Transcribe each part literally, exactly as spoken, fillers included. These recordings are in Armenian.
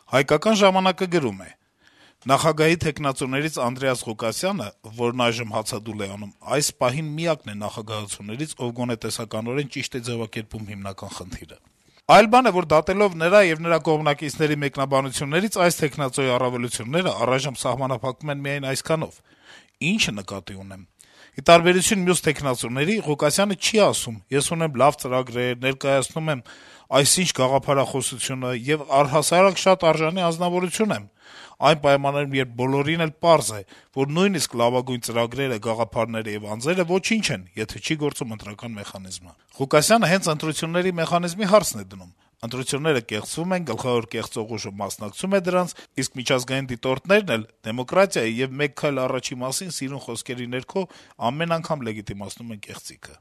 «Հայկական ժամանակը» գրում է. - «Նախագահի թեկնածուներից Անդրեաս Ղուկասյանը, որն այժմ հացադուլ է անում, այս պահին միակն է նախագահություններից, ով գոնե տեսականորեն ճիշտ է ձեւակերպում հիմնական խնդիրը: Այլ բան է, որ դատելով նրա եւ նրա կողմնակիցների մեկնաբանություններից, այս թեկնածուի առավելությունները առայժմ սահմանափակվում են միայն այսքանով. ինչը նկատի ունեմ: Ի տարբերություն մյուս թեկնածուների, Ղուկասյանը չի ասում` ես ունեմ լավ ծրագրեր, ներկայացնում եմ այսինչ գաղափարախոսությունը եւ առհասարակ շատ արժանի անձնավորություն եմ: Այն պայմաններում, երբ բոլորին էլ պարզ է, որ նույնիսկ լավագույն ծրագրերը, գաղափարները եւ անձերը ոչինչ են, եթե չի գործում ընտրական մեխանիզմը: Ղուկասյանը հենց ընտրությունների մեխանիզմի հարցն է դնում: Ընտրությունները կեղծվում են, գլխավոր կեղծող ուժը մասնակցում է դրանց, իսկ միջազգային դիտորդներն էլ դեմոկրատիայի եւ մեկ քայլ առաջի մասին սիրուն խոսքերի ներքո ամեն անգամ լեգիտիմացնում են կեղծիքը»: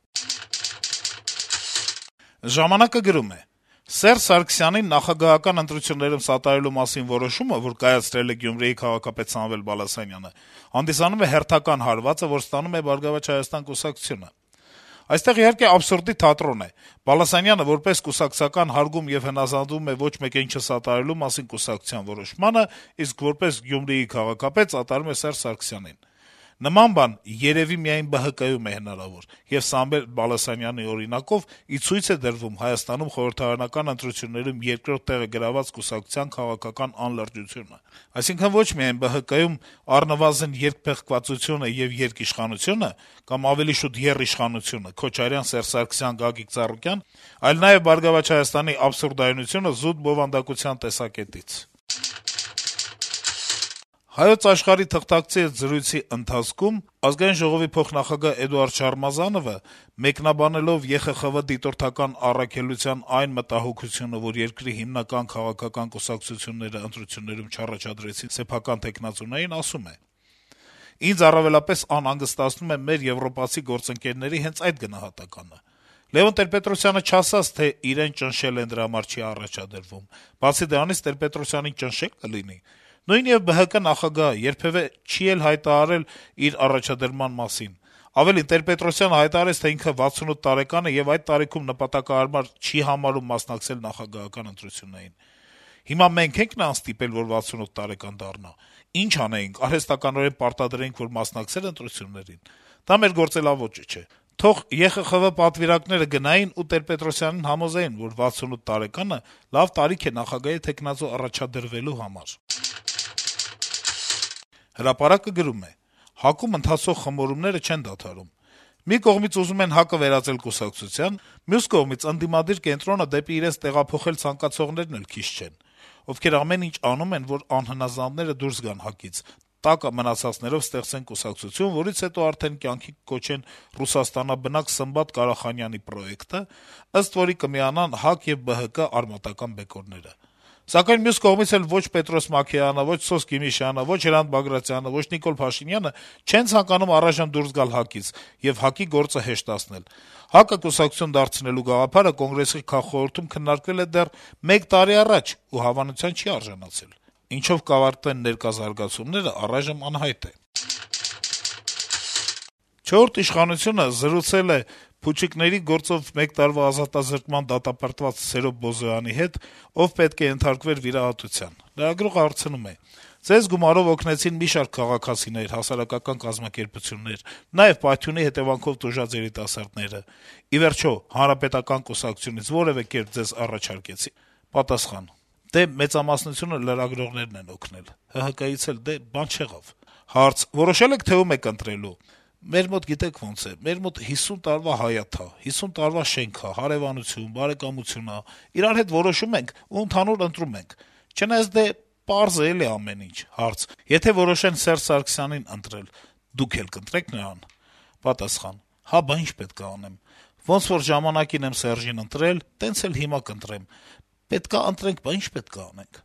«Ժամանակ»-ը գրում է. - «Սերժ Սարգսյանին նախագահական ընտրություններում սատարելու մասին որոշումը, որ կայացրել է Գյումրիի քաղաքապետ Սամվել Բալասանյանը, հանդիսանում է հերթական հարվածը, որ ստանում է «Բարգավաճ Հայաստան» կուսակցությունը: Այստեղ, իհարկե, աբսուրդի թատրոն է. Բալասանյանը, որպես կուսակցական, հարգում եւ հնազանդվում է ոչ մեկին չսատարելու մասին կուսակցության որոշմանը, իսկ որպես Գյումրիի քաղաքապետ սատարում է Սերժ Սարգսյանին: Նման բան երեւի միայն Բը Հը Կում է հնարավոր, եւ Սամվել Բալասանյանի օրինակով ի ցույց է դրվում Հայաստանում խորհրդարանական ընտրություններում երկրորդ տեղը գրաված կուսակցության քաղաքական անլրջությունը: Այսինքն` ոչ միայն Բը Հը Կում առնվազն երկփեղկվածությունը եւ երկիշխանությունը, կամ ավելի շուտ եռիշխանությունը Քոչարյան, Սերժ Սարգսյան, Գագիկ Ծառուկյան, այլ նաեւ «Բարգավաճ Հայաստան»-ի աբսուրդայնությունը զուտ բովանդակության տեսակետից»: «Հայոց Աշխարհ»-ի թղթակցի հետ զրույցի ընթացքում Ազգային ժողովի փոխնախագահ Էդուարդ Շարմազանովը, մեկնաբանելով Է Խ Խ V դիտորդական առաքելության այն մտահոգությունը, որ երկրի հիմնական քաղաքական կուսակցությունները ընտրություններում չառաջադրեցին սեփական թեկնածուներին, ասում է. - «Ինձ առավելապես անհանգստացնում է մեր եվրոպացի գործընկերների հենց այդ գնահատականը: Լեւոն Տեր-Պետրոսյանը չասաց, թե իրեն ճնշել են, դրա համար չի առաջադրվում: Բացի դրանից, Տեր-Պետրոսյանին ճնշե՞լ կլինի: Նույն եւ Բը Հը Կը նախագահը երբեւէ չի էլ հայտարարել իր առաջադրման մասին: Ավելին, Տեր-Պետրոսյանը հայտարարեց, թե ինքը վաթսունութ տարեկան է եւ այդ տարիքում նպատակահարմար չի համարում մասնակցել նախագահական ընտրություններին: Հիմա մենք ենք նրան ստիպել, որ վաթսունութ տարեկան դառնա: Ինչ անեինք, արհեստականորեն պարտադրեինք, որ մասնակցե՞լ ընտրություններին: Դա մեր գործելաոճը չէ: Թող Է Խ Խ V պատվիրակները գնային ու Տեր-Պետրոսյանին համոզեին, որ վաթսունութ տարեկանը լավ տարիք է նախագահի թեկնածու առաջադրվելու համար»: «Հրապարակ»-ը գրում է. - «ՀԱԿ-ում ընթացող խմորումները չեն դադարում: Մի կողմից ուզում են ՀԱԿ-ը վերածել կուսակցության, մյուս կողմից ընդդիմադիր կենտրոնը դեպի իրենց տեղափոխել ցանկացողներն էլ քիչ չեն, ովքեր ամեն ինչ անում են, որ անհնազանդները դուրս գան ՀԱԿ-ից, տակը մնացածներով ստեղծեն կուսակցություն, որից հետո արդեն կյանքի կոչեն ռուսաստանաբնակ Սմբատ Կարախանյանի պրոեկտը, ըստ որի կմիանան ՀԱԿ եւ Բը Հը Կը արմատական բեկորները: Սակայն մյուս կողմից էլ ոչ Պետրոս Մաքեյանը, ոչ Սոս Գիմիշյանը, ոչ Հրանտ Բագրատյանը, ոչ Նիկոլ Փաշինյանը չեն ցանկանում առայժմ դուրս գալ ՀԱԿ-ից եւ ՀԱԿ-ի գործը հեշտացնել: ՀԱԿ-ը կուսակցություն դարձնելու գաղափարը Կոնգրեսի քաղխորհրդում քննարկվել է դեռ մեկ տարի առաջ ու հավանության չի արժանացել: Ինչով կավարտվեն ներկա զարգացումները, առայժմ անհայտ է»: «Չորրորդ ինքնիշխանություն»-ը զրուցել է փուչիկների գործով մեկ տարվա ազատազրկման դատապարտված Սերոբ Բոզոյանի հետ, ով պետք է ենթարկվեր վիրահատության: Լրագրողը հարցնում է. - «Ձեզ գումարով օգնեցին մի շարք քաղաքացիներ, հասարակական կազմակերպություններ, նաեւ Պայթյունի հետեւանքով տուժած երիտասարդները: Ի վերջո, Հանրապետական կուսակցությունից որեւէ կերպ ձեզ առաջարկեցի՞»: Պատասխան. - «Դե, մեծամասնությունը լրագրողներն են օգնել: Հը Հը Կը-ից էլ, դե, բան չեղավ»: Հարց. - «Որոշել եք, թե ում եք ընտրելու»: «Մեր մոտ գիտեք ոնց է: Մեր մոտ հիսուն տարվա հայաթ ա, հիսուն տարվա շենք ա, հարեւանություն, բարեկամություն ա: Իրար հետ որոշում ենք ու ընդհանուր ընտրում ենք: Չնայած, դե, պարզ է էլի ամեն ինչ»: Հարց. - «Եթե որոշեն Սերժ Սարգսյանին ընտրել, դուք էլ կընտրե՞ք նրան»: Պատասխան. - «Հա, բա ինչ պետք ա անեմ: Ոնց որ ժամանակին եմ Սերժին ընտրել, տենց էլ հիմա կընտրեմ: Պետք ա ընտրենք, բա ինչ պետք ա անենք»: